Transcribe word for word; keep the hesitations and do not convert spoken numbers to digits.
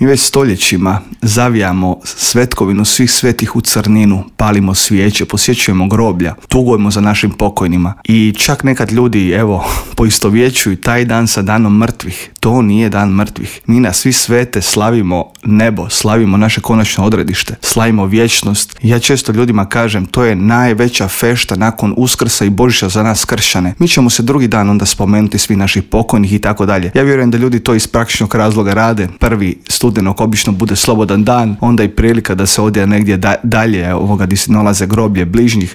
Mi već stoljećima zavijamo svetkovinu svih svetih u crninu, palimo svijeće, posjećujemo groblja, tugujemo za našim pokojnima i čak nekad ljudi, evo, poistovjećuju taj dan sa danom mrtvih. To nije dan mrtvih. Mi na svi svete slavimo nebo, slavimo naše konačno odredište, slavimo vječnost. Ja često ljudima kažem, to je najveća fešta nakon Uskrsa i Božića za nas kršćane. Mi ćemo se drugi dan onda spomenuti svi naših pokojnih i tako dalje. Ja vjerujem da ljudi to iz praktičnog razloga rade. Prvi studenog obično bude slobodan dan, onda i prilika da se odje negdje da, dalje ovoga gdje se nalaze groblje bližnjih,